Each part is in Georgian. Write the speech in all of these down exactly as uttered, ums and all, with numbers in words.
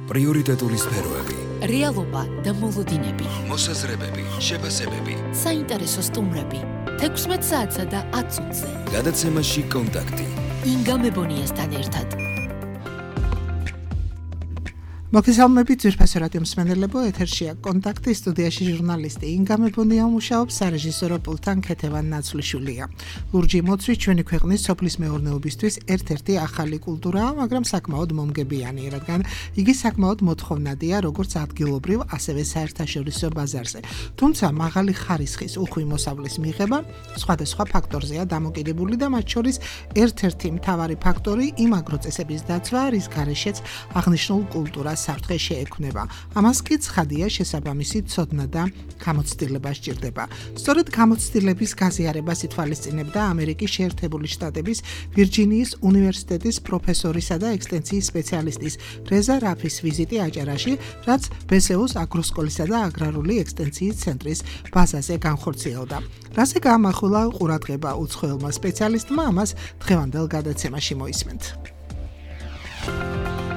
პრიორიტეტული სფეროები, რეალობა და მოლოდინები, მოსაზრებები, შეფასებები, საინტერესო სტუმრები, თექვსმეტ საათსა და ათ წუთზე. გადაცემაში კონტაქტი. ინგა მებონიასთან ერთად. მოგესალმებით ძვირფასო რადიო მსმენელებო, ეთერშია კონტაქტი, სტუდიაში ჟურნალისტი ინგა მებონია მუშაობს, სარეჟისორო პულტთან ქეთევან ნაცვლიშვილია. ლურჯი მოცვის ჩვენი ქვეყნის სოფლის მეურნეობისთვის ერთ-ერთი ახალი კულტურაა, მაგრამ საკმაოდ მომგებიანი, რადგან იგი საკმაოდ მოთხოვნადია როგორც ადგილობრივ, ასევე საერთაშორისო ბაზარზე. თუმცა მაღალი ხარისხის უხვი მოსავლის მიღება სხვადასხვა ფაქტორზეა დამოკიდებული და მათ შორის ერთ-ერთი მთავარი ფაქტორი იმ აგროწესების დაცვა, რის გარეშეც აღნიშნულ კულტურას საფრთხე შეექმნება. ამას კი ცხადია შესაბამისი ცოდნა და გამოცდილება სჭირდება. სწორედ გამოცდილების გაზიარებას ითვალისწინებდა ამერიკის შეერთებული შტატების ვირჯინიის უნივერსიტეტის პროფესორისა და ექსტენსიის სპეციალისტის რეზა რაფის ვიზიტი აჭარაში, რაც ბე ეს იუს აგროსკოლისა და აგრარული ექსტენსიის ცენტრის ბაზაზე განხორციელდა. რაზე გაამახვილა ყურადღება უცხოელმა სპეციალისტმა, ამას დღევანდელ გადაცემაში მოისმენთ.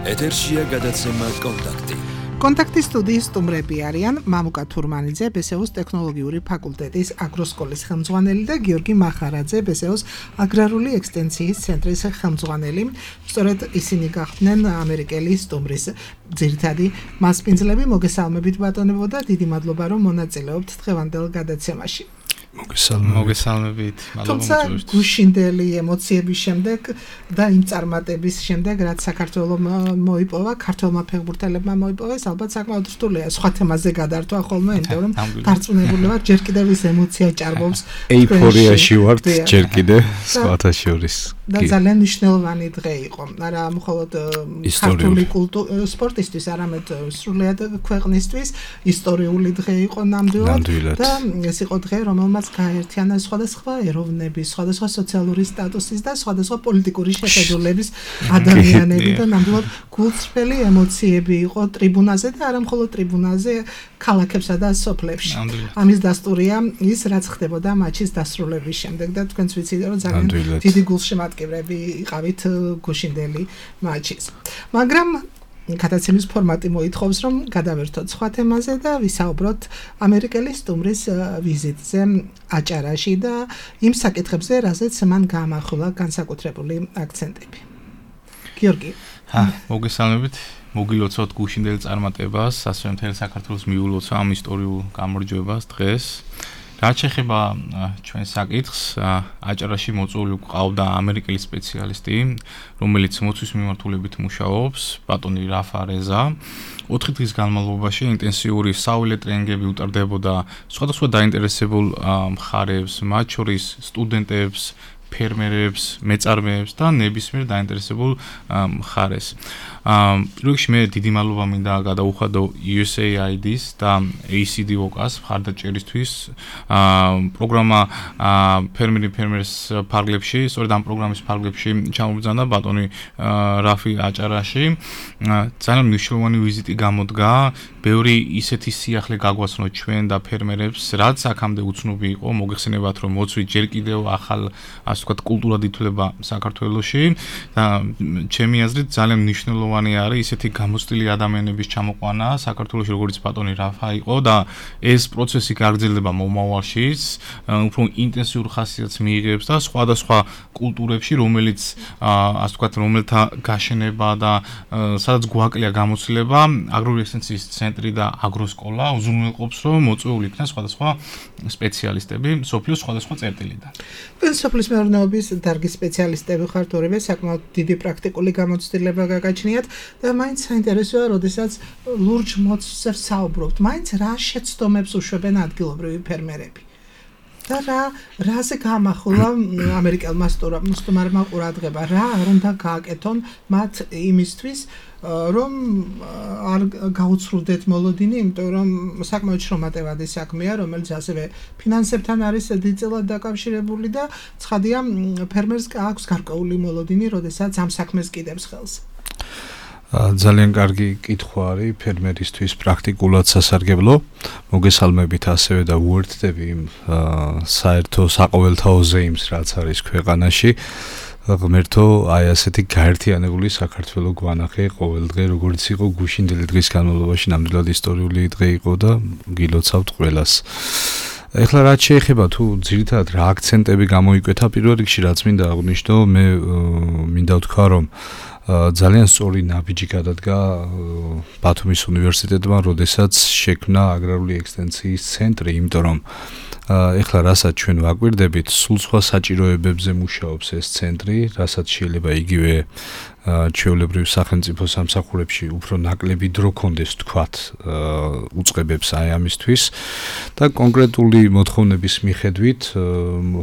ეთერშია გადაცემა კონტაქტი. კონტაქტის სტუდიის სტუმრები არიან მამუკა თურმანიძე, ბე ეს იუს ტექნოლოგიური ფაკულტეტის აგროსკოლის ხელმძღვანელი და გიორგი მახარაძე, ბე ეს იუს აგრარული ექსტენსიის ცენტრის ხელმძღვანელი. სწორედ ისინი გახდნენ ამერიკელი სტუმრის ძირითადი მასპინძლები. მოგესალმებით ბატონებო და დიდი მადლობა რომ მონაწილეობთ დღევანდელ გადაცემაში. მოგესალმებით, თუმცა გუშინდელი ემოციების შემდეგ და იმ წარმატების შემდეგ, რაც საქართველოს მოიპოვა, ქართველმა ფეხბურთელებმა მოიპოვეს, ალბათ საკმაოდ რთულია სხვა თემაზე გადართვა ხოლმე, იმიტომ რომ დარწმუნებული ვარ, ჯერ კიდევ ის ემოცია ჭარბობს. ეიფორიაში ვართ ჯერ კიდევ სხვათა შორის. და ძალიან მნიშვნელოვანი დღე იყო. არა მხოლოდ ქართული სპორტისთვის, არამედ სრულად ქვეყნისთვის ისტორიული დღე იყო ნამდვილად და ეს იყო დღე, რომელმაც გააერთიანა სხვადასხვა ეროვნების, სხვადასხვა სოციალური სტატუსის და სხვადასხვა პოლიტიკური შეხედულების ადამიანები და ნამდვილად გულწრფელი ემოციები იყო ტრიბუნაზე და არა მხოლოდ ტრიბუნაზე, ქალაქებსა და სოფლებში. ამის დასტურია ის, რაც ხდებოდა მატჩის დასრულების შემდეგ და თქვენც ვიცით, რომ ძალიან დიდი გულშემატკივრები იყავით გუშინდელი მატჩის. მაგრამ გადაცემის ფორმატი მოითხოვს, რომ გადავერთოთ სხვა თემაზე და ვისაუბროთ ამერიკელი სტუმრის ვიზიტზე აჭარაში და იმ საკითხებზე, რაზეც მან გაამახვილა განსაკუთრებული აქცენტები. გიორგი. ჰა, მოგესალმებით. მოგილოცავთ გუშინდელ წარმატებას, ასევე მთელ საქართველოს მიულოცა ამ ისტორიულ გამარჯვებას დღეს. რაც შეეხება ჩვენ საკითხს, აჭარაში მოწვეული ყავდა ამერიკელი სპეციალისტი, რომელიც მოცვის მიმართულებით მუშაობს, ბატონი რაფა რეზა. ოთხი დღის განმავლობაში ინტენსიური საველე ტრენინგები უტარდებოდა სხვადასხვა დაინტერესებულ მხარებს, მათ შორის სტუდენტებს, ფერმერებს, მეწარმეებს და ნებისმიერ დაინტერესებულ მხარეს. პირველ რიგში მე დიდი მადლობა მინდა გადაუხადო იუ ეს έი აი დი-ს და ეი სი დი ოკ-ს მხარდაჭერისთვის. პროგრამა ფერმერი ფერმერს ფარგლებში, სწორედ ამ პროგრამის ფარგლებში ჩამობრძანა ბატონი რაფი აჭარაში. ძალიან მნიშვნელოვანი ვიზიტი გამოდგა. ბევრი ისეთი სიახლე გაგვაცნოთ ჩვენ და ფერმერებს, რაც აქამდე უცნობი იყო. მოგეხსენებათ, რომ მოცვი ჯერ კიდევ ახალ ასე ვთქვათ კულტურად ითვლება საქართველოში და ჩემი აზრით ძალიან მნიშვნელოვანი არის ისეთი გამოცდილი ადამიანების ჩამოყვანა საქართველოში, როგორც ბატონი რაფა იყო და ეს პროცესი გაგრძელდება მომავალშიც, უფრო ინტენსიურ ხასიათს მიიღებს და სხვადასხვა კულტურებში, რომელიც ასე ვთქვათ, რომელთა გაშენება და სადაც გვაკლია გამოცდილება, აგრარული ექსტენსიის ცენტრი და აგროსკოლა უზრუნველყოფს, რომ მოწვეული იქნას სხვადასხვა სპეციალისტები სოფლის სხვადასხვა წერტილიდან. სოფლის მეურნეობის დარგის სპეციალისტები ხართ, ორივე საკმაოდ დიდი პრაქტიკული გამოცდილება გაგაჩნიათ და მაინც საინტერესოა, როდესაც ლურჯ მოცვზე საუბრობთ, მაინც რა შეცდომებს უშვებენ ადგილობრივი ფერმერები. და რა რაზე გაამახვილა ამერიკელმა სტუმარმა ყურადღება, რა არ უნდა გააკეთონ მათ იმისთვის, რომ არ გაუცრუდეთ მოლოდინი, იმიტომ რომ საკმაოდ შრომატევადი საქმეა, რომელიც ასევე ფინანსებთან არის დიდწილად დაკავშირებული და ცხადია ფერმერს აქვს გარკვეული მოლოდინი, როდესაც ამ საქმეს კიდებს ხელს. ძალიან კარგი კითხვა არის ფერმერისთვის პრაქტიკულად სასარგებლო. მოგესალმებით ასევე და უერთდები იმ საერთო საყოველთაო ზეიმს, რაც არის ქვეყანაში. ღმერთო, აი ასეთი გაერთიანებული საქართველოს გვანახე ყოველდღე, როგორც იყო გუშინდელი დღის განმავლობაში, ნამდვილად ისტორიული დღე იყო და გილოცავთ ყველას. ეხლა რაც შეეხება თუ ძირითადად რა აქცენტები გამოიკვეთა პირველ რიგში რაც მინდა აღვნიშნო, მე მინდა ვთქვა რომ ძალიან სწორი ნაბიჯი გადადგა ბათუმის უნივერსიტეტმა, როდესაც შექმნა აგრარული ექსტენციის ცენტრი, იმიტომ რომ ეხლა რასაც ჩვენ ვაკვირდებით, სულ სხვა საჭიროებებზე მუშაობს ეს ცენტრი, რასაც შეიძლება იგივე ჩვეულებრივ სახელმწიფო სამსახურებში უფრო ნაკლები დრო კონდეს თქვათ უწყებებს აი ამისთვის და კონკრეტული მოთხოვნების მიხედვით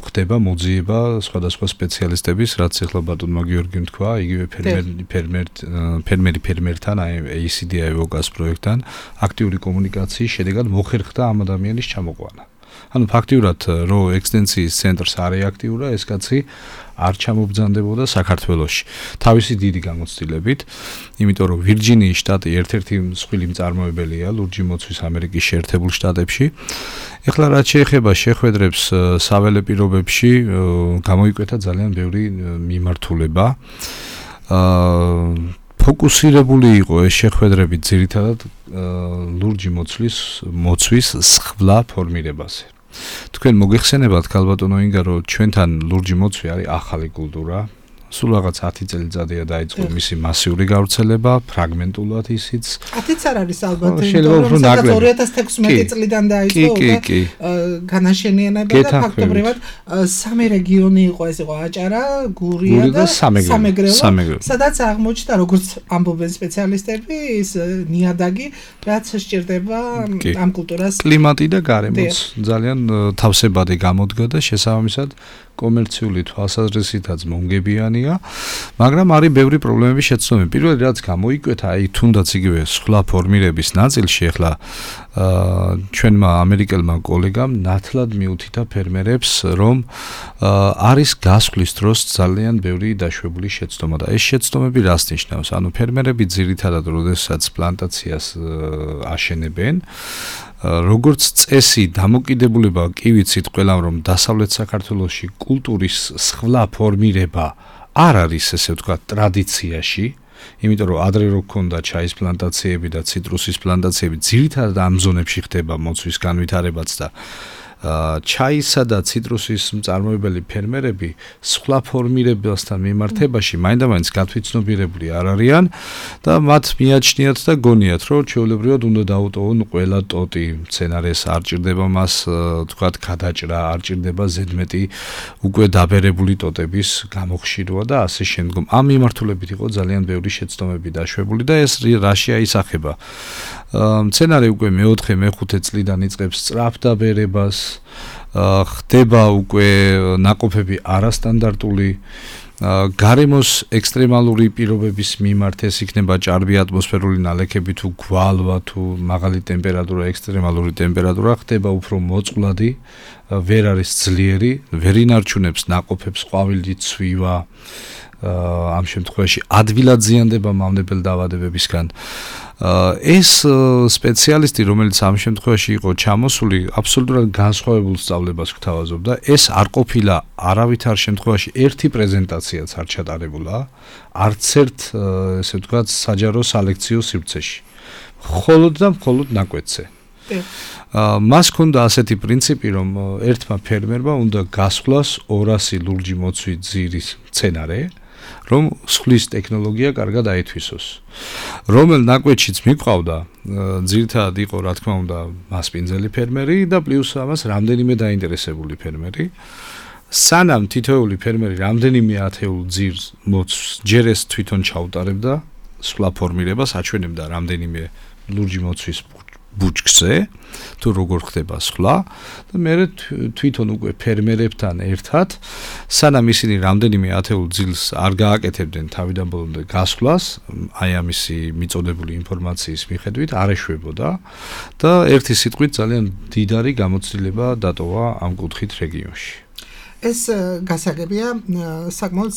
ხდება მოძიება სხვადასხვა სპეციალისტების, რაც ეხლა ბატონმა გიორგიმ თქვა, იგივე ფერმერი ფერმერ ფერმერი ფერმერთან, აი эй სი დი აი-ვოკას პროექტთან აქტიური კომუნიკაციის შედეგად მოხერხდა ამ ადამიანის ჩამოყვანა. ანუ ფაქტიურად რო ექსტენციის ცენტრს არ ეაქტიურა, ეს კაცი არ ჩამობრძანდებოდა საქართველოში. თავისი დიდი გამოცდილებით, იმიტომ რომ ვირჯინიის შტატი ერთ-ერთი მსხვილი მწარმოებელია ლურჯი მოცვის ამერიკის შეერთებულ შტატებში. ეხლა რაც შეეხება შეხვედრებს საველე პირობებში, გამოიკვეთა ძალიან ბევრი მიმართულება. აა ფოკუსირებული იყო ეს შეხვედრები ძირითადად ლურჯი მოცვის მოცვის სხვა ფორმირებაზე. თქვენ მოგეხსენებათ ქალბატონო ინგა, რომ ჩვენთან ლურჯი მოცვი არის ახალი კულტურა. სულ რაღაც ათი წელიწადია დაიწყო მისი მასიური გავრცელება, ფრაგმენტულად ისიც. ათიც არ არის ალბათ, რომ სადაც ორი ათას თექვსმეტი წლიდან დაიწყო განაშენიანება და ფაქტობრივად სამი რეგიონი იყო, ეს იყო აჭარა, გურია და სამეგრელო, სადაც აღმოჩნდა, როგორც ამბობენ სპეციალისტები, ის ნიადაგი, რაც სჭირდება ამ კულტურას. კლიმატი და გარემოც ძალიან თავსებადი გამოდგა და შესაბამისად კომერციული თვალსაზრისითაც მონგებიანია, მაგრამ არის ბევრი პრობლემები შეცდომები. პირველი რაც გამოიკვეთა, აი თუნდაც იგივე სხვა ფორმირების ნაწილში, ახლა ჩვენმა ამერიკელმა კოლეგამ ნათლად მიუთითა ფერმერებს, რომ არის გასვლის დროს ძალიან ბევრი დაშვებული შეცდომა და ეს შეცდომები რას ნიშნავს? ანუ ფერმერები ძირითადად როდესაც პლანტაციას აშენებენ, როგორც წესი დამოკიდებულება კი ვიცით ყველამ, რომ დასავლეთ საქართველოში კულტურის სხვა ფორმირება არ არის, ესე ვთქვათ, ტრადიციაში, იმიტომ რომ ადრე რო ქონდა ჩაის პლანტაციები და ციტრუსის პლანტაციები, ძირითადად ამ ზონებში ხდება მოცვის განვითარებაც და ჩაისა და ციტრუსის მწარმოებელი ფერმერები სხვა ფორმირებასთან მიმართებაში მაინდა-მაინც გათვითცნობიერებული არ არიან და მათ მიაჩნიათ და გონიათ, რომ ჩვეულებრივად უნდა დაუტოვონ ყველა ტოტი მცენარეს, არ ჭირდება მას თქვათ გადაჭრა, არ ჭირდება ზედმეტი უკვე დაბერებული ტოტების გამოხშირვა და ასე შემდგომ. ამ მიმართულებით იყო ძალიან ბევრი შეცდომები დაშვებული და ეს რაში აისახება. მცენარე უკვე მეოთხე, მეხუთე წლიდან იწყებს სწრაფ დაბერებას, ხდება უკვე ნაყოფები არასტანდარტული, გარემოს ექსტრემალური პირობების მიმართ, ეს იქნება ჭარბი ატმოსფერული ნალექები თუ გვალვა თუ მაღალი ტემპერატურა, ექსტრემალური ტემპერატურა, ხდება უფრო მოწყვლადი, ვერ არის ძლიერი, ვერ ინარჩუნებს ნაყოფებს ყვავილით ცვივა, ამ შემთხვევაში ადვილად ზიანდება მავნებელ დაავადებებისგან. ეს სპეციალისტი, რომელიც ამ შემთხვევაში იყო ჩამოსული, აბსოლუტურად განსხვავებულ სწავლებას გვთავაზობდა. ეს არ ყოფილა არავითარ შემთხვევაში ერთი პრეზენტაციაც არ ჩატარებულა, არც ერთ, ესე ვთქვათ, საჯარო სალექციო სივრცეში. მხოლოდ და მხოლოდ ნაკვეთზე. მას ჰქონდა ასეთი პრინციპი, რომ ერთმა ფერმერმა უნდა გასვლას ორასი ლურჯი მოცვი ძირის მცენარე, რომ სხვლის ტექნოლოგია კარგად აითვისოს. რომელ ნაკვეთშიც მიყვავდა, ძირითადად იყო, რა თქმა უნდა, მასპინძელი ფერმერი და პლუს ამას რამდენიმე დაინტერესებული ფერმერი. სანამ თითოეული ფერმერი რამდენიმე ათეულ ძირს მოცვს ჯერ ეს თვითონ ჩაუტარებდა, სხვა ფორმირებას აჩვენებდა რამდენიმე ლურჯი მოცვის ბუჩქზე, თუ როგორ ხდება სხვა და მე თვითონ უკვე ფერმერებთან ერთად, სანამ ისინი რამდენიმე ათეულ ძილს არ გააკეთებდნენ თავიდან ბოლომდე გასვლას, აი ამისი მიწოდებული ინფორმაციის მიხედვით არ ეშვებოდა და ერთი სიტყვით ძალიან დიდარი გამოცდილება დატოვა ამ კუთხით რეგიონში. ეს გასაგებია, საკმაოდ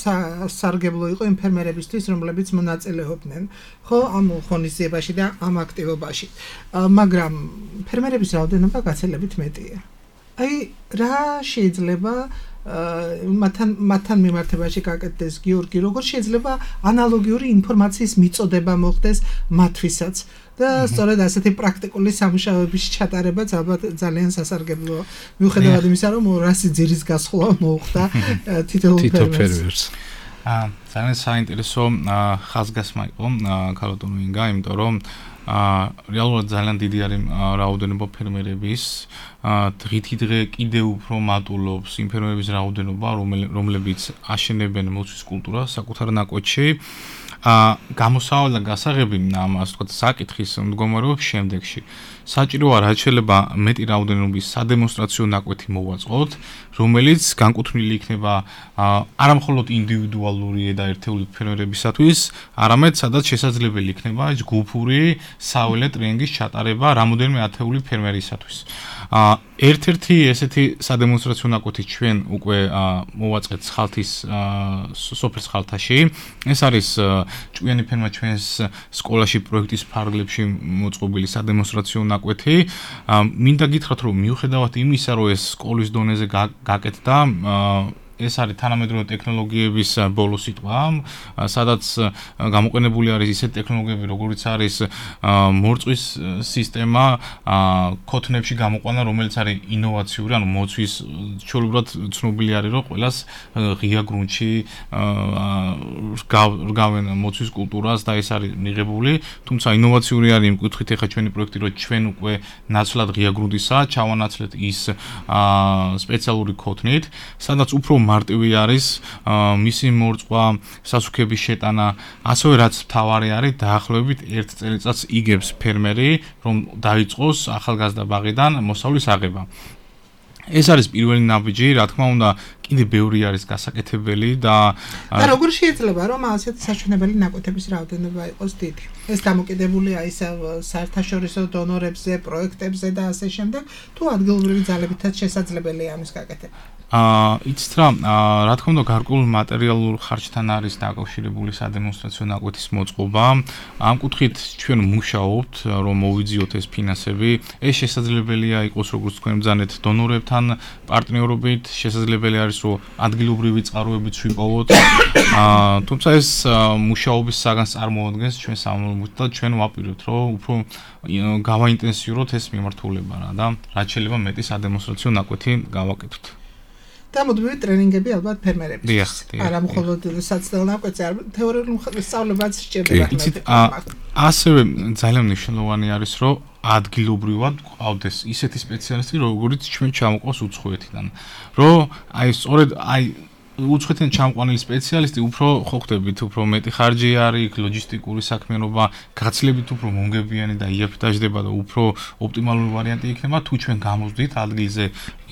სარგებლო იყო იმ ფერმერებისთვის, რომლებიც მონაწილეობდნენ, ხო, ამ ღონისძიებაში და ამ აქტივობაში. მაგრამ ფერმერების რაოდენობა გაცილებით მეტია. აი რა შეიძლება მათთან მათთან მიმართებაში გაკეთდეს გიორგი, როგორ შეიძლება ანალოგიური ინფორმაციის მიწოდება მოხდეს მათთვისაც და სწორედ ასეთი პრაქტიკული სამუშაოების ჩატარებაც ალბათ ძალიან სასარგებლო მიუხედავად იმისა, რომ რასი ძირის გასხლა მოუხდა თითოეულ ფერმერს. აა ძალიან საინტერესო ხაზგასმა იყო ქალბატონო ინგა, იმიტომ რომ აა რეალურად ძალიან დიდი არის რაოდენობა ფერმერების, დღითი დღე კიდევ უფრო მატულობს იმ ფერმერების რაოდენობა, რომლებიც აშენებენ მოცვის კულტურას საკუთარ ნაკვეთში. აა გამოსავალი და გასაღები ამ ასე ვთქვათ საკითხის მდგომარეობის შემდეგში. საჭიროა რაც შეიძლება მეტი რაოდენობის სადემონსტრაციო ნაკვეთი მოვაწყოთ, რომელიც განკუთვნილი იქნება არა მხოლოდ ინდივიდუალური და ერთეული ფერმერებისათვის, არამედ სადაც შესაძლებელი იქნება ეს ჯგუფური საველე ტრენინგის ჩატარება რამოდენიმე ათეული ფერმერისათვის. აა ერთ-ერთი ესეთი სადემონსტრაციო ნაკვეთი ჩვენ უკვე მოვაწყეთ ხალთის სოფლის ხალთაში. ეს არის ჭკვიანი ფერმა ჩვენს სკოლაში პროექტის ფარგლებში მოწყობილი სადემონსტრაციო ნაკვეთი. მინდა გითხრათ, რომ მიუხედავად იმისა, რომ ეს სკოლის დონეზე გაკეთდა, ეს არის თანამედროვე ტექნოლოგიების ბოლო სიტყვა, სადაც გამოყენებული არის ისეთი ტექნოლოგიები, როგორიც არის მორწვის სისტემა, ქოთნებში გამოყვანა, რომელიც არის ინოვაციური, ანუ მოცვის ჩვეულებრივად ცნობილი არის, რომ ყველას ღია გრუნტში რგავენ მოცვის კულტურას და ეს არის მიღებული, თუმცა ინოვაციური არის იმ კუთხით, ეხლა ჩვენი პროექტი, რომ ჩვენ უკვე ნაცვლად ღია გრუნტისა ჩავანაცვლეთ ის სპეციალური ქოთნით, სადაც უფრო მარტივი არის მისი მორწვა, სასუქების შეტანა, ასევე რაც მთავარი არის, დაახლოებით ერთ წელიწადს იგებს ფერმერი, რომ დაიწყოს ახალგაზრდა ბაღიდან მოსავლის აღება. ეს არის პირველი ნაბიჯი, რა თქმა უნდა, კიდე ბევრი არის გასაკეთებელი და და როგორ შეიძლება რომ ასეთი საჩვენებელი ნაკვეთების რაოდენობა იყოს დიდი? ეს დამოკიდებულია ისევ საერთაშორისო დონორებზე, პროექტებზე და ასე შემდეგ, თუ ადგილობრივი ძალებითაც შესაძლებელია ამის გაკეთება? აა იცით რა, რა თქმა უნდა, გარკვეულ მატერიალურ ხარჯთან არის დაკავშირებული სადემონსტრაციო ნაკვეთის მოწყობა. ამ კუთხით ჩვენ მუშაობთ, რომ მოვიძიოთ ეს ფინანსები. ეს შესაძლებელია იყოს, როგორც თქვენ ბრძანეთ, დონორებთან პარტნიორობით, შესაძლებელი არის, რომ ადგილობრივი წყაროებიც ვიპოვოთ. აა თუმცა ეს მუშაობის საგანს წარმოადგენს ჩვენ სამომავლოდ და ჩვენ ვაპირებთ, რომ უფრო გავაინტენსიუროთ ეს მიმართულება რა და რაც შეიძლება მეტი სადემონსტრაციო ნაკვეთი გავაკეთოთ. და მუდმივი ტრენინგები ალბათ ფერმერებისთვის. დიახ, არა მხოლოდ საცდელ ნაკვეთზე, არამედ თეორიულ სწავლებაც სჭირდება. იცით, ასევე ძალიან მნიშვნელოვანი არის, რომ ადგილობრივად ყავდეს ისეთი სპეციალისტი, როგორიც ჩვენ ჩამოყავს უცხოეთიდან. რომ აი სწორედ აი უცხოეთიდან ჩამოყვანილი სპეციალისტი უფრო ხო ხდებით, უფრო მეტი ხარჯი არის, ლოჯისტიკური საქმიანობა გაცლებით უფრო მომგებიანი და იაფი დაждდება და უფრო ოპტიმალური ვარიანტი იქნება, თუ ჩვენ გამოვდით ადგილზე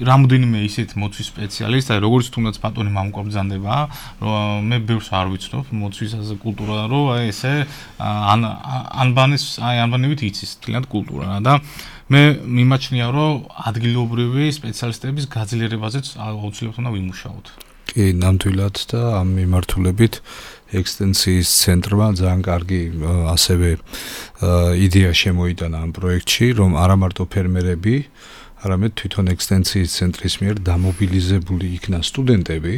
რამოდენიმე ისეთ მოცვის სპეციალისტი, აი როგორც თუნდაც ბატონი მამუკა ბრძანდება, რომ მე ბევრს არ ვიცნობ მოცვის კულტურა, რომ აი ესე ანბანის, აი ანბანებით იცის თლიანად კულტურა და მე მიმაჩნია, რომ ადგილობრივი სპეციალისტების გაძლიერებაზეც აუცილებლად უნდა ვიმუშაოთ. კი, ნამდვილად და ამ მიმართულებით ექსტენსიის ცენტრმა ძალიან კარგი ასევე იდეა შემოიტანა ამ პროექტში, რომ არა მარტო ფერმერები, არამედ თვითონ ექსტენსიის ცენტრის მიერ დამობილიზებული იქნა სტუდენტები,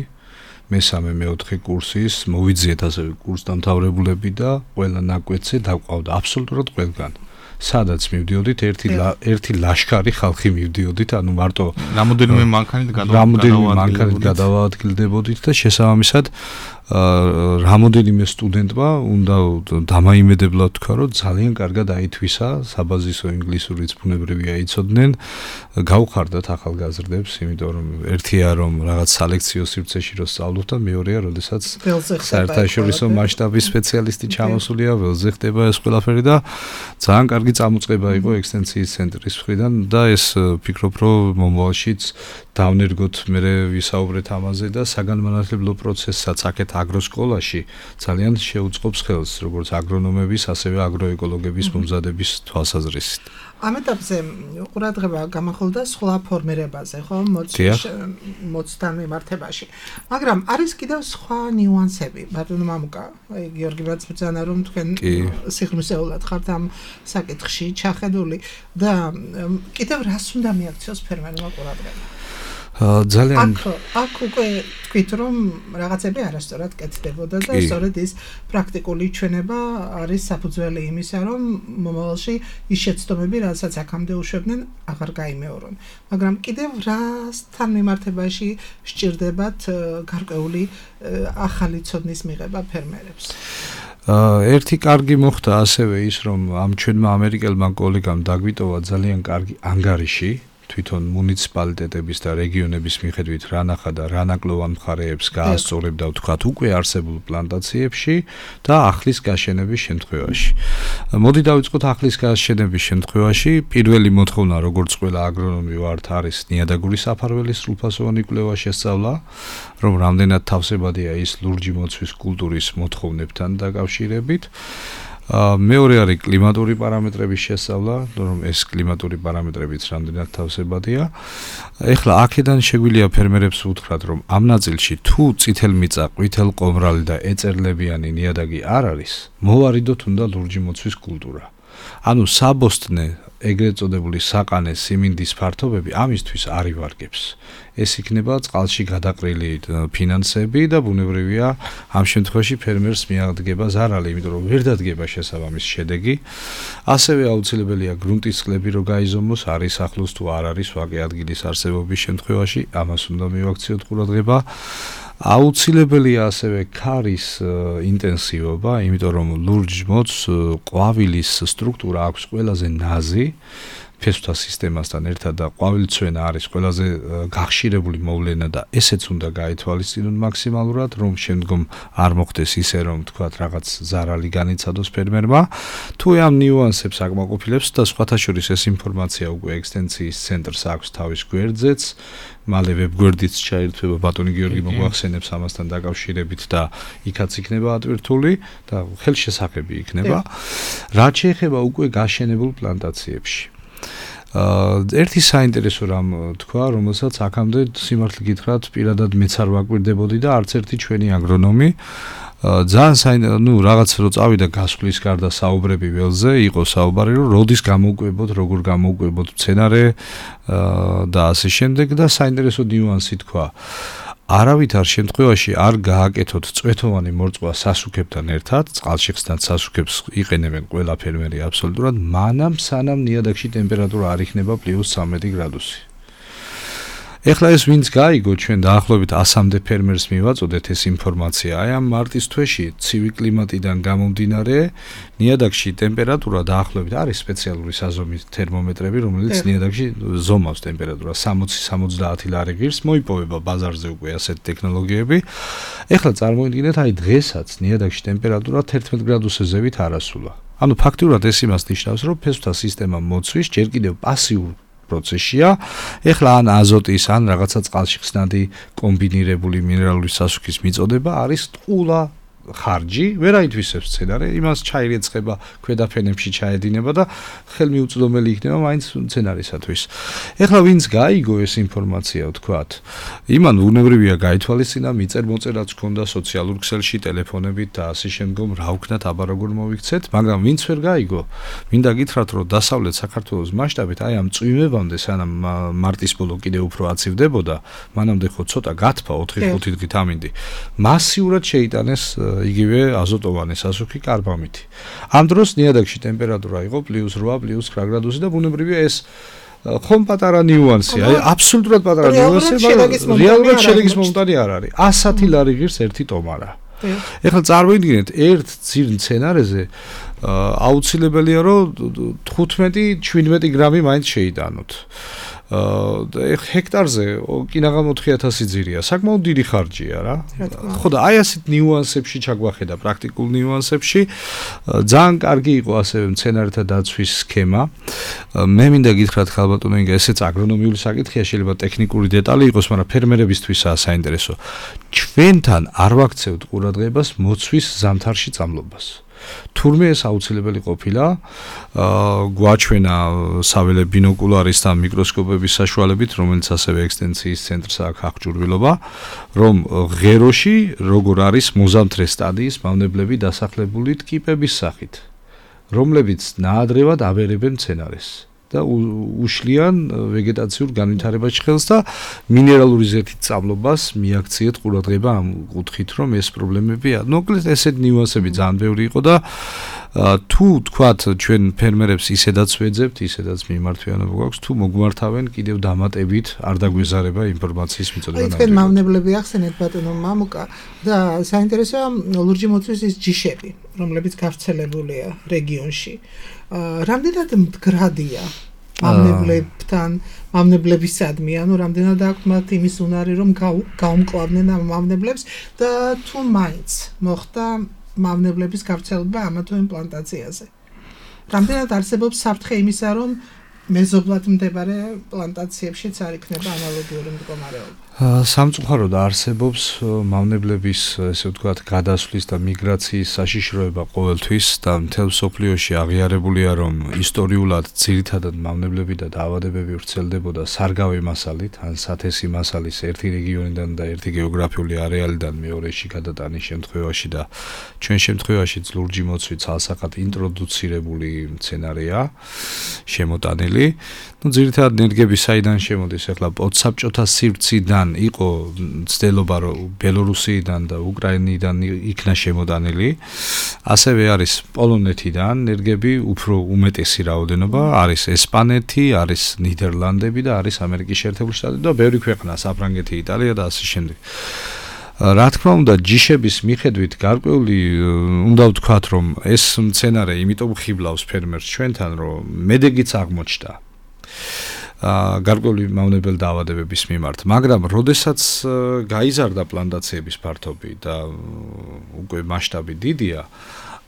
მესამე მეოთხე კურსის მოვიძიეთ ასევე კურსდამთავრებულები და ყველა ნაკვეთზე დაყავდა აბსოლუტურად ყველგან. სადაც მივდიოდით, ერთი ერთი ლაშქარი ხალხი მივდიოდით, ანუ მარტო რამოდენიმე მანქანით გადავაადგილდებოდით და შესაბამისად რამოდენიმე სტუდენტმა უნდა დამაიმედებლად თქვა, რომ ძალიან კარგად აითვისა, საბაზისო ინგლისურიც ბუნებრივია იცოდნენ, გავხარდათ ახალგაზრდებს, იმიტომ რომ ერთია რომ რაღაც სალექციო სივრცეში რო სწავლობ და მეორეა, როდესაც საერთაშორისო მასშტაბის სპეციალისტი ჩამოსულია, ველზე ხდება ეს ყველაფერი და ძალიან კარგი წამოწყება იყო ექსტენსიის ცენტრის მხრიდან და ეს ფიქრობ, რომ მომავალშიც დავნერგოთ მე ვისაუბრეთ ამაზე და საგანმანათლებლო პროცესსაც აქეთ აგროსკოლაში ძალიან შეუწყობს ხელს, როგორც აგრონომების, ასევე აგროეკოლოგების მომზადების თვალსაზრისით. ამ ეტაპზე ყურადღება გამახვილდა სხვა ფორმირებაზე, ხო, მოცვის მოცთან მიმართებაში. მაგრამ არის კიდევ სხვა ნიუანსები. ბატონო მამუკა, აი გიორგი ბრძანა რომ თქვენ სიღრმისეულად ხართ ამ საკითხში ჩახედული და კიდევ რას უნდა მიაქციოს ფერმერმა ყურადღება? ძალიან აქ აქ უკვე თქვით რომ რაღაცები არასწორად კეთდებოდა და სწორედ ის პრაქტიკული ჩვენება არის საფუძველი იმისა რომ მომავალში ის შეცდომები რასაც აქამდე უშვებდნენ აღარ გაიმეორონ მაგრამ კიდევ რასთან მიმართებაში სჭირდებათ გარკვეული ახალი ცოდნის მიღება ფერმერებს ერთი კარგი მოხდა ასევე ის რომ ამ ჩვენმა ამერიკელმა კოლეგამ დაგვიტოვა ძალიან კარგი ანგარიში თვითონ მუნიციპალიტეტების და რეგიონების მიხედვით რა ნახა და რა ნაკლოვან მხარეებს გაასწორებდა ვთქვათ უკვე არსებულ პლანტაციებში და ახლის გაშენების შემთხვევაში. მოდი დავიწყოთ ახლის გაშენების შემთხვევაში. პირველი მოთხოვნა როგორც ყველა აგრონომი ვართ არის ნიადაგური საფარველის სრულფასოვანი კვლევა შესწავლა, რომ რამდენად თავსებადია ის ლურჯი მოცვის კულტურის მოთხოვნებთან დაკავშირებით. მეორე არის კლიმატური პარამეტრების შესწავლა, რომ ეს კლიმატური პარამეტრებიც რამდენად თავსებადია. ეხლა აქედან შეგვიძლია ფერმერებს უთხრათ, რომ ამ ნაწილში თუ წითელმიწა, ყვითელყომრალი და ეწერლებიანი ნიადაგი არ არის, მოვარიდოთ უნდა ლურჯი მოცვის კულტურა. ანუ საბოსტნე ეგრეთ წოდებული საყანე სიმინდის ფართობები ამისთვის არ ივარგებს. ეს იქნება წყალში გადაყრილი ფინანსები და ბუნებრივია ამ შემთხვევაში ფერმერს მიაღდგება ზარალი, იმიტომ რომ ვერ დადგება შესაბამის შედეგი. ასევე აუცილებელია გრუნტის წყლები რო გაიზომოს, არის ახლოს თუ არ არის ვაკე ადგილის არსებობის შემთხვევაში, ამას უნდა მივაქციოთ ყურადღება. აუცილებელია ასევე ქარის ინტენსივობა, იმიტომ რომ ლურჯ მოცს ყვავილის სტრუქტურა აქვს ყველაზე ნაზი ფესვთა სისტემასთან ერთად და ყვავილცვენა არის ყველაზე გახშირებული მოვლენა და ესეც უნდა გაითვალისწინოთ მაქსიმალურად, რომ შემდგომ არ მოხდეს ისე, რომ თქვათ რაღაც ზარალი განიცადოს ფერმერმა. თუ ამ ნიუანსებს აკმაყოფილებს და სხვათა შორის ეს ინფორმაცია უკვე ექსტენციის ცენტრს აქვს თავის გვერდზეც, მალე ვებგვერდიც ჩაირთვება ბატონი გიორგი მოგვახსენებს ამასთან დაკავშირებით და იქაც იქნება ატვირთული და ხელშესახები იქნება. რაც შეეხება უკვე გაშენებულ პლანტაციებში. ერთი საინტერესო რამ თქვა, რომელსაც აქამდე სიმართლე გითხრათ, პირადად მეც არ ვაკვირდებოდი და არც ერთი ჩვენი აგრონომი ძალიან საინტერესო, ну, რაღაც რო წავიდა გასვლის გარდა საუბრები ველზე, იყო საუბარი, რომ როდის გამოვკვებოთ, როგორ გამოვკვებოთ მცენარე და ასე შემდეგ და საინტერესო ნიუანსი თქვა. არავითარ შემთხვევაში არ გააკეთოთ წვეთოვანი მორწყვა სასუქებთან ერთად, წყალშიხსთან სასუქებს იყენებენ ყველა ფერმერი აბსოლუტურად, მანამ სანამ ნიადაგში ტემპერატურა არ იქნება პლუს ცხრამეტი გრადუსი. ეხლა ეს ვინც გაიგო, ჩვენ დაახლოებით ასამდე ფერმერს მივაწოდეთ ეს ინფორმაცია. აი ამ მარტის თვეში ცივი კლიმატიდან გამომდინარე, ნიადაგში ტემპერატურა დაახლოებით არის სპეციალური საზომის თერმომეტრები, რომელიც ნიადაგში ზომავს ტემპერატურას სამოცი სამოცდაათი ლარი ღირს, მოიპოვება ბაზარზე უკვე ასეთი ტექნოლოგიები. ეხლა წარმოიდგინეთ, აი დღესაც ნიადაგში ტემპერატურა თერთმეტ გრადუსზევით არასულა. ანუ ფაქტიურად ეს იმას ნიშნავს, რომ ფესვთა სისტემა მოცვის ჯერ კიდევ პასიურ პროცესია. ეხლა ან აზოტის, ან რაღაცა წყალში ხსნადი კომბინირებული მინერალური სასუქის მიწოდება არის ტყულა ხარჯი, ვერ აითვისებს მცენარე, იმას ჩაირეცხება, ქვედაფენებში ჩაედინება და ხელმიუწვდომელი იქნება მაინც მცენარისათვის. ეხლა ვინც გაიგო ეს ინფორმაცია, ვთქვათ, იმან უნებრივია გაითვალისწინა, მიწერ-მოწერაც ჰქონდა სოციალურ ქსელში, ტელეფონებით და ასე შემდგომ რა ვქნათ, აბა როგორ მოვიქცეთ, მაგრამ ვინც ვერ გაიგო, მინდა გითხრათ, რომ დასავლეთ საქართველოს მასშტაბით აი ამ წვიმებამდე, სანამ მარტის ბოლო კიდევ უფრო აცივდებოდა, მანამდე ხო ცოტა გათფა ოთხი ხუთი დღით ამინდი. მასიურად შეიტანეს იგივე აზოტოვანი სასუქი კარბამითი. ამ დროს ნიადაგში ტემპერატურა იყო პლუს რვა, პლუს ცხრა გრადუსი და ბუნებრივია ეს ხომ პატარა ნიუანსია, აი აბსოლუტურად პატარა ნიუანსია, რეალურად შედეგის მომტანი არ არის. ასათი ლარი ღირს ერთი ტომარა. ეხლა წარმოიდგინეთ, ერთ ძირ მცენარეზე აუცილებელია, რომ თხუთმეტი შვიდმეტი გრამი მაინც შეიტანოთ. ჰექტარზე კინაღამ ოთხი ათასი ძირია, საკმაოდ დიდი ხარჯია რა. ხო და აი ასეთ ნიუანსებში ჩაგვახედა, პრაქტიკულ ნიუანსებში. ძალიან კარგი იყო ასევე მცენარეთა დაცვის სქემა. მე მინდა გითხრათ ხალბატონო ინგა, ესეც აგრონომიული საკითხია, შეიძლება ტექნიკური დეტალი იყოს, მაგრამ ფერმერებისთვისაა საინტერესო. ჩვენთან არ ვაქცევთ ყურადღებას მოცვის ზამთარში წამლობას. თურმე ეს აუცილებელი ყოფილა გვაჩვენა საველე ბინოკულარის და მიკროსკოპების საშუალებით, რომელიც ასევე ექსტენციის ცენტრს აქვს აღჭურვილობა, რომ ღეროში როგორ არის მოზამთრე სტადიის მავნებლები დასახლებული ტკიპების სახით, რომლებიც ნაადრევად აბერებენ მცენარეს და უშლიან ვეგეტაციურ განვითარებაში ხელს და მინერალური ზეთით წამლობას მიაქციეთ ყურადღება ამ კუთხით, რომ ეს პრობლემებია. მოკლედ ესეთ ნიუანსები ძალიან ბევრი იყო და თუ თქვათ ჩვენ ფერმერებს ისედაც ვეძებთ, ისედაც მიმართვიანობა გვაქვს, თუ მოგმართავენ კიდევ დამატებით არ დაგვეზარება ინფორმაციის მიწოდება. აი თქვენ მავნებლები ახსენეთ ბატონო მამუკა და საინტერესოა ლურჯი მოწვის ის ჯიშები, რომლებიც გავრცელებულია რეგიონში. რამდენად მდგრადია მავნებლებთან, მავნებლებისადმი, ანუ რამდენად აქვს მათ იმის უნარი, რომ გაუმკლავდნენ ამ მავნებლებს და თუ მაინც მოხდა მავნებლების გავრცელება ამა თუ იმ პლანტაციაზე. რამდენად არსებობს საფრთხე იმისა, რომ მეზობლად მდებარე პლანტაციებშიც არ იქნება ანალოგიური მდგომარეობა. სამწუხაროდ არსებობს მავნებლების, ესე ვთქვათ, გადასვლის და მიგრაციის საშიშროება ყოველთვის და მთელ მსოფლიოში აღიარებულია, რომ ისტორიულად ძირითადად მავნებლები და დაავადებები ვრცელდებოდა სარგავი მასალით, ან სათესი მასალის ერთი რეგიონიდან და ერთი გეოგრაფიული არეალიდან მეორეში გადატანის შემთხვევაში და ჩვენ შემთხვევაში ლურჯი მოცვი ცალსახად ინტროდუცირებული მცენარეა შემოტანილი. ну ძირითადად ნერგები საიდან შემოდის ახლა პოდსაბჭოთა სივრციდან იყო ცდილობა რომ ბელორუსიიდან და უკრაინიდან იქნა შემოდანილი ასევე არის პოლონეთიდან ნერგები უფრო უმეტესი რაოდენობა არის ესპანეთი არის ნიდერლანდები და არის ამერიკის შეერთებული შტატები და ბევრი ქვეყანა საფრანგეთი იტალია და ასე შემდეგ რა თქმა უნდა ჯიშების მიხედვით გარკვეული უნდა ვთქვათ რომ ეს მცენარე იმიტომ ხიბლავს ფერმერს ჩვენთან რომ მედეგიც აღმოჩნდა გარკვეული მავნებელ დაავადებების მიმართ, მაგრამ როდესაც გაიზარდა პლანტაციების ფართობი და უკვე მასშტაბი დიდია,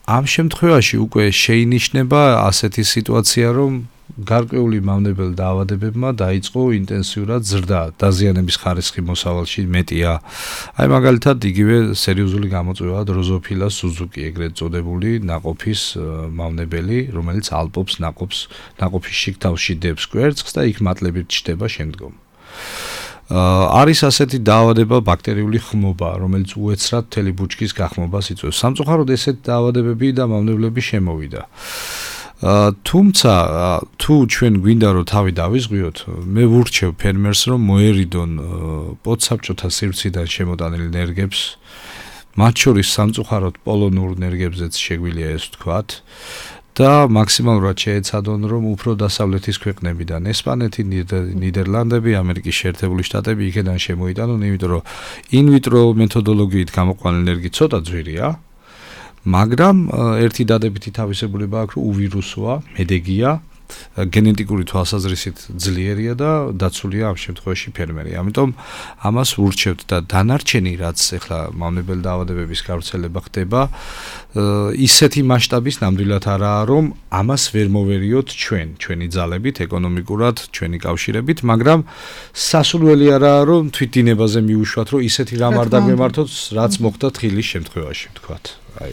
ამ შემთხვევაში უკვე შეინიშნება ასეთი სიტუაცია, რომ გარკვეული მავნებელ დაავადებებმა დაიწყო ინტენსიურად ზრდა, დაზიანების ხარისხი მოსავალში მეტია. აი მაგალითად იგივე სერიოზული გამოწვევა დროზოფილა სუზუკი, ეგრეთ წოდებული ნაყოფის მავნებელი, რომელიც ალპობს ნაყოფს, ნაყოფის შიგთავში დებს კვერცხს და იქ მატლებით ჩდება შემდგომ. არის ასეთი დაავადება ბაქტერიული ხმობა, რომელიც უეცრად მთელი ბუჩქის გახმობას იწვევს. სამწუხაროდ ესეთ დაავადებები და მავნებლები შემოვიდა. თუმცა თუ ჩვენ გვინდა რომ თავი დავიზღვიოთ, მე ვურჩევ ფერმერს რომ მოერიდონ პოდსაბჭოთა სივრციდან შემოტანილ ნერგებს, მათ შორის სამწუხაროდ პოლონურ ნერგებზეც შეგვიძლია ეს ვთქვათ და მაქსიმალურად შეეცადონ რომ უფრო დასავლეთის ქვეყნებიდან, ესპანეთი, ნიდერლანდები, ამერიკის შეერთებული შტატები იქიდან შემოიტანონ, იმიტომ რომ ინვიტრო მეთოდოლოგიით გამოყვანილი ნერგი ცოტა ძვირია. მაგრამ ერთი დადებითი თავისებურება აქვს, რომ უვირუსოა, მედეგია, გენეტიკური თვალსაზრისით ძლიერია და დაცულია ამ შემთხვევაში ფერმერი. ამიტომ ამას ვურჩევთ და დანარჩენი რაც ახლა მავნებელ დაავადებების გავრცელება ხდება, ისეთი მასშტაბის ნამდვილად არაა, რომ ამას ვერ მოვერიოთ ჩვენ, ჩვენი ძალებით, ეკონომიკურად, ჩვენი კავშირებით, მაგრამ სასურველი არაა, რომ თვითდინებაზე მიუშვათ, რომ ისეთი რამ არ დაგვემართოთ, რაც მოხდა თხილის შემთხვევაში, ვთქვათ. აი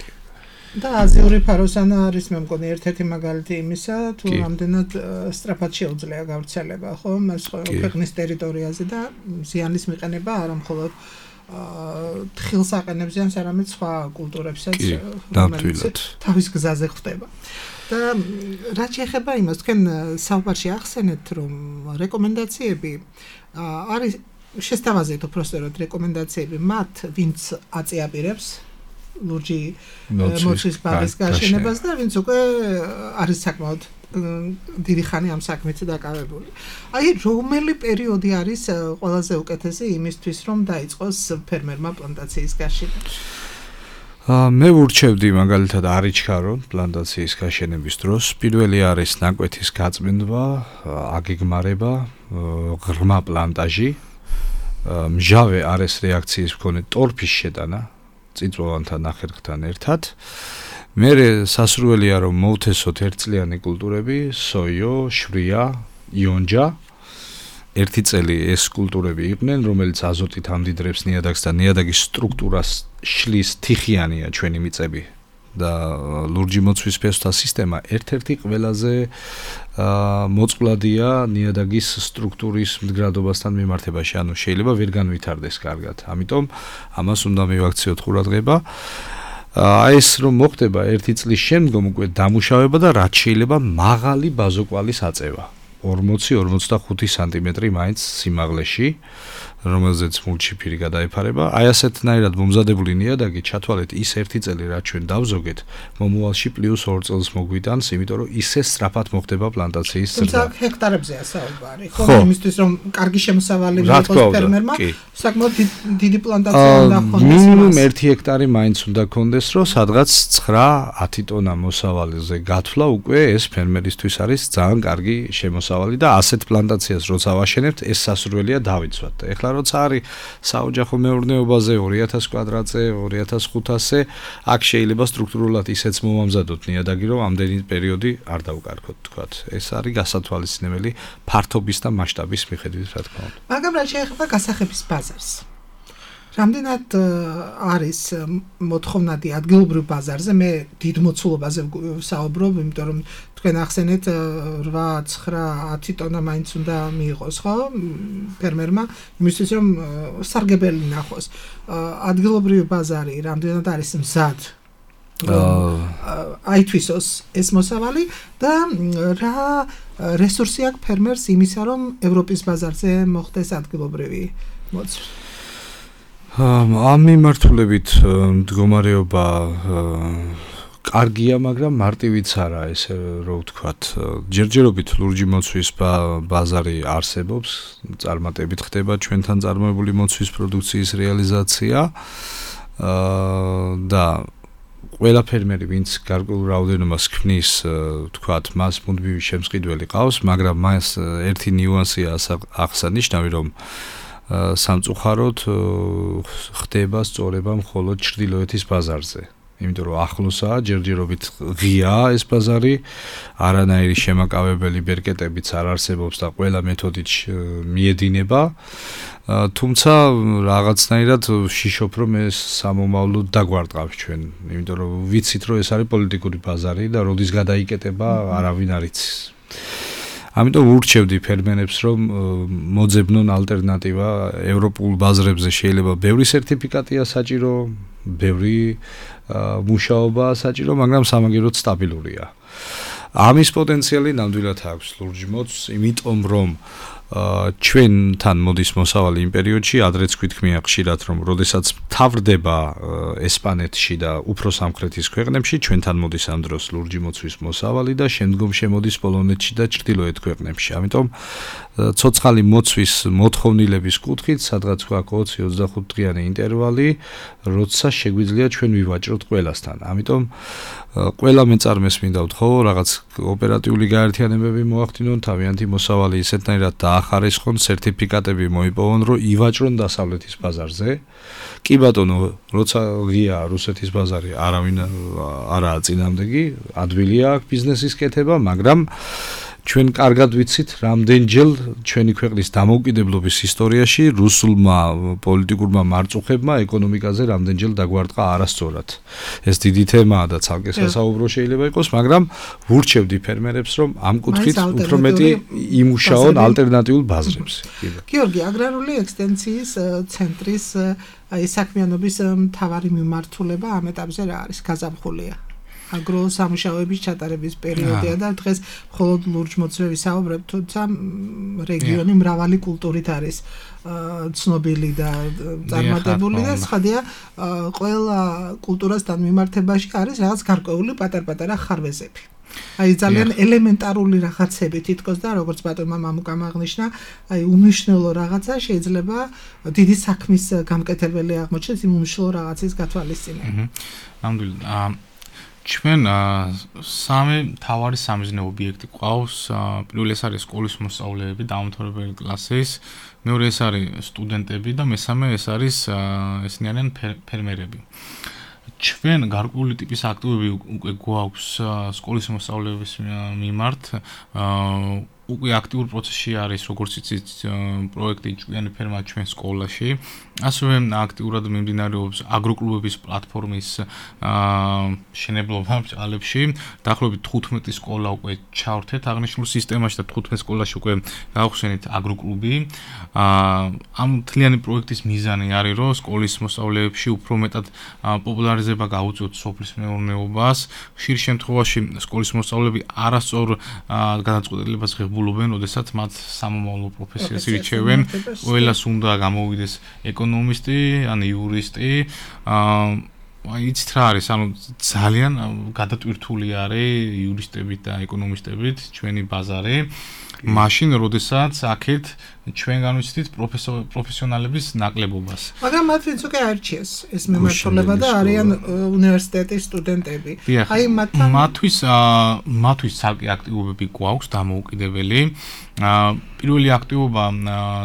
და აზიური ფაროსანა არის მე მგონი ერთ-ერთი მაგალითი იმისა, თუ რამდენად სწრაფად შეუძლია გავრცელება, ხო, მას ქვეყნის ტერიტორიაზე და ზიანის მიყენება არა მხოლოდ თხილს აყენებზიან, არამედ სხვა კულტურებსაც, ნამდვილად თავის გზაზე ხდება. და რაც შეეხება იმას, თქვენ საუბარში ახსენეთ, რომ რეკომენდაციები არის შესთავაზეთ უпростоროდ რეკომენდაციები მათ, ვინც აწიაპირებს ლურჯი მოცვის ბაღის გაშენებას და ვინც უკვე არის საკმაოდ დიდი ხანი ამ საქმით დაკავებული. აი რომელი პერიოდი არის ყველაზე უკეთესი იმისთვის, რომ დაიწყოს ფერმერმა პლანტაციის გაშენება? მე ვურჩევდი მაგალითად არ იჩქარონ პლანტაციის გაშენების დროს. პირველი არის ნაკვეთის გაწმენდვა, აგეგმარება, ღრმა პლანტაჟი, მჟავე არეს რეაქციის მქონე ტორფის შეტანა წიწვოვანთან ნახერხთან ერთად. მერე სასურველია რომ მოვთესოთ ერთწლიანი კულტურები, სოიო, შვია, იონჯა. ერთი წელი ეს კულტურები იყვნენ, რომელიც აზოტით ამდიდრებს ნიადაგს და ნიადაგის სტრუქტურას შლის, თიხიანია ჩვენი მიწები. და ლურჯი მოცვის ფესვთა სისტემა ერთ-ერთი ყველაზე მოწყვლადია ნიადაგის სტრუქტურის მდგრადობასთან მიმართებაში, ანუ შეიძლება ვერ განვითარდეს კარგად. ამიტომ ამას უნდა მივაქციოთ ყურადღება. აი ეს რომ მოხდება ერთი წლის შემდგომ უკვე დამუშავება და რაც შეიძლება მაღალი ბაზოკვალის აწევა. ორმოცი ორმოცდახუთი სანტიმეტრი მაინც სიმაღლეში, რომელზეც მულჩიფირი გადაეფარება. აი ასეთნაირად მომზადებული ნიადაგი ჩათვალეთ ის ერთი წელი, რაც ჩვენ დავზოგეთ, მომავალში პლუს ორ წელს მოგვიტანს, იმიტომ რომ ისე სწრაფად მოხდება პლანტაციის ზრდა. თუმცა ჰექტარებზეა საუბარი, ხო, იმისთვის რომ კარგი შემოსავალი მიიღოს ფერმერმა, საკმაოდ დიდი პლანტაცია უნდა ჰქონდეს. მინიმუმ ერთი ჰექტარი მაინც უნდა ჰქონდეს, რომ სადღაც ცხრა ათი ტონა მოსავალზე გათვლა უკვე ეს ფერმერისთვის არის ძალიან კარგი შემოსავალი და ასეთ პლანტაციას როცა ვაშენებთ, ეს სასურველია დავიცვათ. ეხლა როცა არის საოჯახო მეურნეობაზე ორი ათას კვადრატზე, ორი ათას ხუთასზე, აქ შეიძლება სტრუქტურულად ისეც მომამზადოთ ნიადაგი, რომ ამდენი პერიოდი არ დავკარგოთ, თქვათ. ეს არის გასათვალისწინებელი ფართობის და მასშტაბის მიხედვით, რა თქმა უნდა. მაგრამ რა შეეხება გასახების ბაზარს? რამდენად არის მოთხოვნადი ადგილობრივ ბაზარზე, მე დიდ მოცულობაზე საუბრობ, იმიტომ რომ თქვენ ახსენეთ რვა ცხრა ათი ტონა მაინც უნდა მიიღოს, ხო? ფერმერმა, იმისთვის რომ სარგებელი ნახოს. ადგილობრივი ბაზარი რამდენად არის მზად? აითვისოს ეს მოსავალი და რა რესურსი აქვს ფერმერს იმისა, რომ ევროპის ბაზარზე მოხდეს ადგილობრივი მოცვა? ამ მიმართულებით მდგომარეობა კარგია, მაგრამ მარტივიც არა, ესე რომ ვთქვათ. ჯერჯერობით ლურჯი მოცვის ბაზარი არსებობს, წარმატებით ხდება ჩვენთან წარმოებული მოცვის პროდუქციის რეალიზაცია და ყველა ფერმერი, ვინც გარკვეულ რაოდენობას ქმნის, ვთქვათ, მას მუდმივი შემსყიდველი ყავს, მაგრამ მას ერთი ნიუანსია აღსანიშნავი, რომ სამწუხაროდ ხდება სწორება მხოლოდ ჩრდილოეთის ბაზარზე. იმიტომ რომ ახლოსაა, ჯერჯერობით ღიაა ეს ბაზარი, არანაირი შემაკავებელი ბერკეტებიც არ არსებობს და ყველა მეთოდით მიედინება. თუმცა რაღაცნაირად ვშიშობ, რომ ეს სამომავლოდ დაგვარტყავს ჩვენ, იმიტომ რომ ვიცით, რომ ეს არის პოლიტიკური ბაზარი და როდის გადაიკეტება, არავინ არ იცის. ამიტომ ურჩევდი ფერმერებს, რომ მოძებნონ ალტერნატივა ევროპულ ბაზრებზე. შეიძლება ბევრი სერტიფიკატია საჭირო, ბევრი მუშაობაა საჭირო, მაგრამ სამაგიეროდ სტაბილურია. ამის პოტენციალი ნამდვილად აქვს ლურჯ მოცვს, იმიტომ რომ ჩვენთან მოდის მოსავალი იმ პერიოდში, ადრეც გვითქმია ხშირად, რომ როდესაც თავრდება ესპანეთში და უფრო სამხრეთის ქვეყნებში, ჩვენთან მოდის ამ დროს ლურჯი მოცვის მოსავალი და შემდგომ შემოდის პოლონეთში და ჩრდილოეთ ქვეყნებში. ამიტომ ცოცხალი მოცვის მოთხოვნილების კუთხით, სადღაც გვაქვს ოცი ოცდახუთ დღიანი ინტერვალი, როცა შეგვიძლია ჩვენ ვივაჭროთ ყველასთან. ამიტომ ყველა მეწარმეს მინდა ვთხოვო, რაღაც ოპერატიული გაერთიანებები მოახდინონ, თავიანთი მოსავალი ისეთნაირად დაახარისხონ, სერტიფიკატები მოიპოვონ, რომ ივაჭრონ დასავლეთის ბაზარზე. კი ბატონო, როცა ღია რუსეთის ბაზარი, არავინ არაა წინამდეგი, ადვილია აქ ბიზნესის კეთება, მაგრამ ჩვენ კარგად ვიცით, რამდენჯერ ჩვენი ქვეყნის დამოუკიდებლობის ისტორიაში რუსულმა პოლიტიკურმა მარწუხებმა ეკონომიკაზე რამდენჯერ დაგვარტყა არასწორად. ეს დიდი თემაა და ცალკე სასაუბრო შეიძლება იყოს, მაგრამ ვურჩევდი ფერმერებს, რომ ამ კუთხით უფრო მეტი იმუშაონ ალტერნატიულ ბაზრებზე. გიორგი, აგრარული ექსტენციის ცენტრის აი საქმიანობის მთავარი მიმართულება ამ ეტაპზე რა არის? გაზაფხულია. აგრო სამუშაოების ჩატარების პერიოდია და დღეს მხოლოდ ლურჯ მოცვები საუბრობ, თუმცა რეგიონი მრავალი კულტურით არის ცნობილი და წარმატებული და ცხადია ყველა კულტურასთან მიმართებაში არის რაღაც გარკვეული პატარ-პატარა ხარვეზები. აი ძალიან ელემენტარული რაღაცები თითქოს და როგორც ბატონმა მამუკამ აღნიშნა, აი უმნიშვნელო რაღაცა შეიძლება დიდი საქმის გამკეთებელი აღმოჩნდეს იმ უმნიშვნელო რაღაცის გათვალისწინებით. ნამდვილად ჩვენ სამი მთავარი სამიზნე ობიექტი ყავს. პირველი ეს არის სკოლის მოსწავლეები, დაუმთავრებელი კლასის, მეორე ეს არის სტუდენტები და მესამე ეს არის ესენი არიან ფერმერები. ჩვენ გარკვეული ტიპის აქტივები უკვე გვაქვს სკოლის მოსწავლეების მიმართ. უკვე აქტიურ პროცესში არის, როგორც იცით, პროექტი ჭკვიანი ფერმა ჩვენ სკოლაში. ასევე აქტიურად მიმდინარეობს აგროკლუბების პლატფორმის შენებლობა ბჭყალებში. დაახლოებით თხუთმეტი სკოლა უკვე ჩავრთეთ აღნიშნულ სისტემაში და თხუთმეტ სკოლაში უკვე გავხსენით აგროკლუბი. ამ მთლიანი პროექტის მიზანი არის, რომ სკოლის მოსწავლეებში უფრო მეტად პოპულარიზება გაუწიოთ სოფლის მეურნეობას. ხშირ შემთხვევაში სკოლის მოსწავლეები არასწორ გადაწყვეტილებას ღებულობენ, როდესაც მათ სამომავლო პროფესიას ირჩევენ. ყველას უნდა გამოვიდეს ეკონომისტი, ან იურისტი. აი იცით რა არის, ანუ ძალიან გადატვირთული არის იურისტებით და ეკონომისტებით ჩვენი ბაზარი. მაშინ, როდესაც აქეთ ჩვენ განვიცდით პროფესიონალების ნაკლებობას. მაგრამ მათ ვინც უკვე არჩიეს ეს მემართულება და არიან უნივერსიტეტის სტუდენტები. აი მათთვის მათთვის ცალკე აქტივობები გვაქვს დამოუკიდებელი. პირველი აქტივობა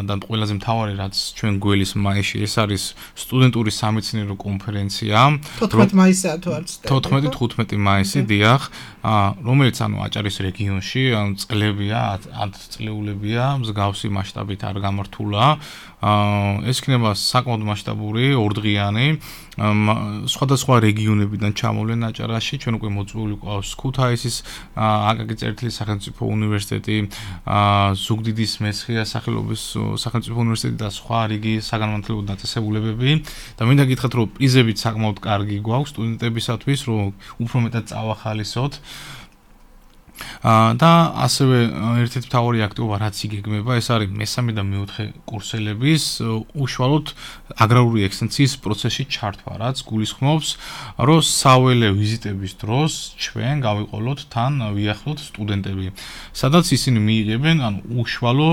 და ყველაზე მთავარი რაც ჩვენ გველის მაისში ეს არის სტუდენტური სამეცნიერო კონფერენცია. თოთხმეტ მაისია თუ არ ვცდები. თოთხმეტი თხუთმეტი მაისი, დიახ, რომელიც ანუ აჭარის რეგიონში, ანუ წლებია, ათ წლეულებია, მსგავსი მასშტაბით არ გამართულა. ეს იქნება საკმაოდ მასშტაბური, ორდღიანი. სხვადასხვა რეგიონებიდან ჩამოვლენ აჭარაში, ჩვენ უკვე მოწვეული გვყავს ქუთაისის აკაკი წერეთლის სახელმწიფო უნივერსიტეტი, ზუგდიდის მესხია სახელობის სახელმწიფო უნივერსიტეტი და სხვა რიგი საგანმანათლებლო დაწესებულებები. და მინდა გითხრათ, რომ პრიზებიც საკმაოდ კარგი გვაქვს სტუდენტებისათვის, რომ უფრო მეტად წავახალისოთ. და ასევე ერთ-ერთი მთავარი აქტივობა რაც იგეგმება, ეს არის მესამე და მეოთხე კურსელების უშუალოდ აგრარული ექსტენსიის პროცესში ჩართვა, რაც გულისხმობს, რომ საველე ვიზიტების დროს ჩვენ გავიყოლოთ თან ვიახლოთ სტუდენტები, სადაც ისინი მიიღებენ ანუ უშუალო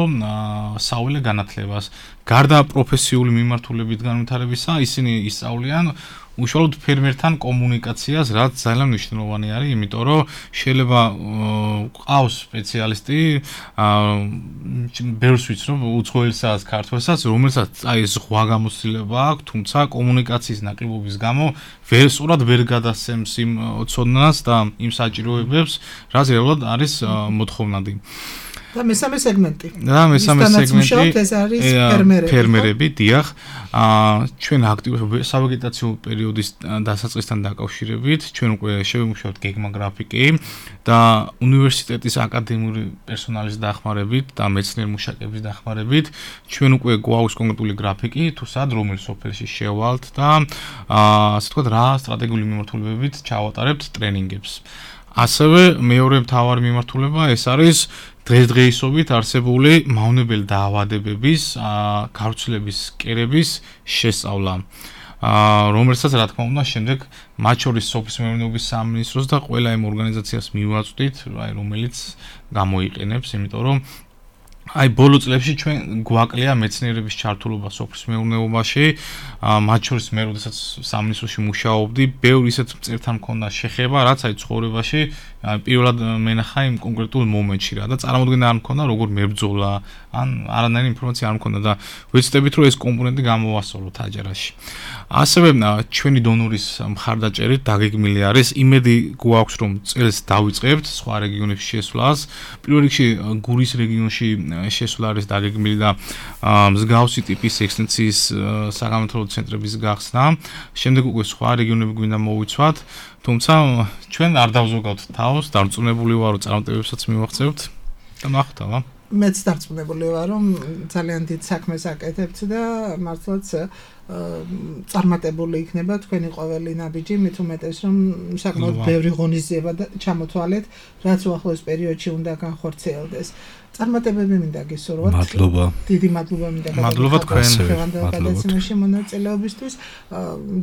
საველე განათლებას. გარდა პროფესიული მიმართულებით განვითარებისა, ისინი ისწავლიან უშუალოდ ფერმერთან კომუნიკაციას, რაც ძალიან მნიშვნელოვანი არის, იმიტომ რომ შეიძლება ყავს სპეციალისტი, ბევრს ვიცნობ უცხოელსაც, ქართველსაც, რომელსაც აი ზღვა გამოცდილება აქვს, თუმცა კომუნიკაციის ნაკლებობის გამო ვერ სწორად ვერ გადასცემს იმ ცოდნას და იმ საჭიროებებს, რაც რეალურად არის მოთხოვნადი. და მესამე სეგმენტი. და მესამე სეგმენტი ეს არის ფერმერები. ფერმერები, დიახ. აა ჩვენ აქტიურ სავეგეტაციო პერიოდის დასაწყისთან დაკავშირებით ჩვენ უკვე შევიმუშავეთ გეგმა გრაფიკი და უნივერსიტეტის აკადემიური პერსონალის დახმარებით და მეცნიერ მუშაკების დახმარებით ჩვენ უკვე გვაქვს კონკრეტული გრაფიკი, თუ სად რომელ სოფელში შევალთ და აა ასე ვთქვათ, რა სტრატეგიული მიმართულებებით ჩავატარებთ ტრენინგებს. ასევე მეორე მთავარი მიმართულება ეს არის დღესდღეობით არსებული მავნებელი დაავადებების გავრცელების კერების შესწავლა, რომელსაც რა თქმა უნდა შემდეგ მათ შორის სოფლის მეურნეობის სამინისტროს და ყველა იმ ორგანიზაციას მივაწვდით, რომელიც გამოიყენებს, იმიტომ რომ აი ბოლო წლებში ჩვენ გვაკლია მეცნიერების ჩართულობა სოფლის მეურნეობაში, მათ შორის მე როდესაც სამინისტროში მუშაობდი, ბევრ ისეთ მწერთან მქონდა შეხება, რაც აი ცხოვრებაში პირველად მენახა იმ კონკრეტულ მომენტში რა და წარმოუდგენა არ მქონდა როგორ მებრძოლა, ან არანაირი ინფორმაცია არ მქონდა და ვეცდებით რომ ეს კომპონენტი გამოვასწოროთ აჭარაში. ასევე ჩვენი დონორის მხარდაჭერით დაგეგმილი არის, იმედი გვაქვს რომ წელს დავიწყებთ სხვა რეგიონებში შესვლას. პირველ რიგში გურის რეგიონში შესვლა არის დაგეგმილი და მსგავსი ტიპის ექსტენსიის საგანმანათლებლო ცენტრების გახსნა. შემდეგ უკვე სხვა რეგიონები გვინდა მოვიცვათ, თუმცა ჩვენ არ დავზოგავთ თავს, დარწმუნებული ვარ, რომ წარმატებებსაც მივაღწევთ და ნახოთ აბა. მეც დარწმუნებული ვარ, რომ ძალიან დიდ საქმეს აკეთებთ და მართლაც წარმატებული იქნება თქვენი ყოველი ნაბიჯი, მით უმეტეს რომ საკმაოდ ბევრი ღონისძიება ჩამოთვალეთ, რაც უახლოეს პერიოდში უნდა განხორციელდეს. წარმატებები მინდა გისურვოთ. მადლობა. დიდი მადლობა მინდა გაგიხადოთ. მადლობა თქვენ. გადაცემაში მონაწილეობისთვის.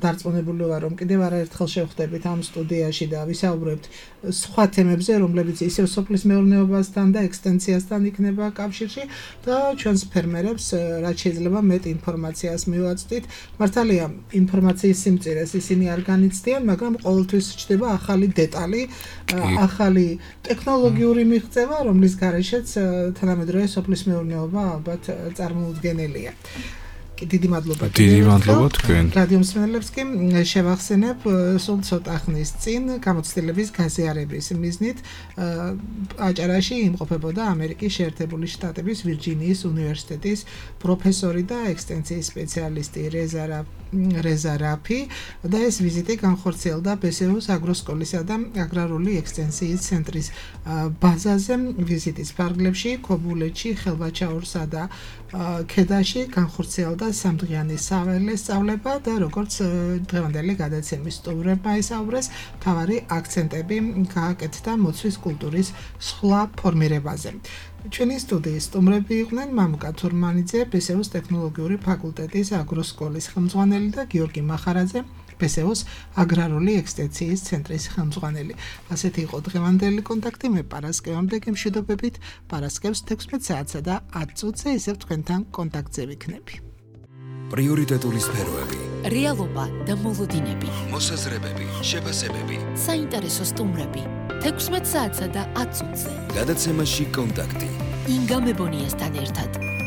დარწმუნებული ვარ, რომ კიდევ არაერთხელ შევხვდებით ამ სტუდიაში და ვისაუბრებთ სხვა თემებზე, რომლებიც ისევ სოფლის მეურნეობასთან და ექსტენსიასთან იქნება კავშირში და ჩვენს ფერმერებს რაც შეიძლება მეტ ინფორმაციას მივაწვდით. მართალია, ინფორმაციის სიმწირეს ისინი არ განიცდიან, მაგრამ ყოველთვის ჩნდება ახალი დეტალი, ახალი ტექნოლოგიური მიღწევა, რომლის გარეშეც თანამედროვე სოფლის მეურნეობა ალბათ წარმოუდგენელია. დიდი მადლობა. დიდი მადლობა თქვენ. რადიო მსმენელებს კი შევახსენებ სულ ცოტა ხნის წინ გამოცდილების გაზიარების მიზნით აჭარაში იმყოფებოდა ამერიკის შეერთებული შტატების ვირჯინიის უნივერსიტეტის პროფესორი და ექსტენსიის სპეციალისტი რეზა რეზა რაფი და ეს ვიზიტი განხორციელდა ბესეუს აგროსკოლისა და აგრარული ექსტენსიის ცენტრის ბაზაზე. ვიზიტის ფარგლებში ქობულეთში, ხელვაჩაურსა და ქედაში განხორციელდა სამდღიანი საველე სწავლება და როგორც დღევანდელი გადაცემის სტუმრებმა ისაუბრეს, მთავარი აქცენტები გააკეთდა მოცვის კულტურის სხვა ფორმირებაზე. ჩვენი სტუდიის სტუმრები იყვნენ მამუკა თურმანიძე, ბესეუს ტექნოლოგიური ფაკულტეტის აგროსკოლის ხელმძღვანელი და გიორგი მახარაძე, ბესეუს აგრარული ექსტენსიის ცენტრის ხელმძღვანელი. ასეთი იყო დღევანდელი კონტაქტი. მე პარასკევამდე გემშვიდობებით, პარასკევს თექვსმეტ საათსა და ათ წუთზე ისევ თქვენთან კონტაქტზე ვიქნები. პრიორიტეტული სფეროები, რეალობა და მოლოდინები, მოსაზრებები, შეფასებები, საინტერესო სტუმრები, თექვსმეტ საათსა და ათ წუთზე. გადაცემაში კონტაქტი. ინგა მებონიასთან ერთად.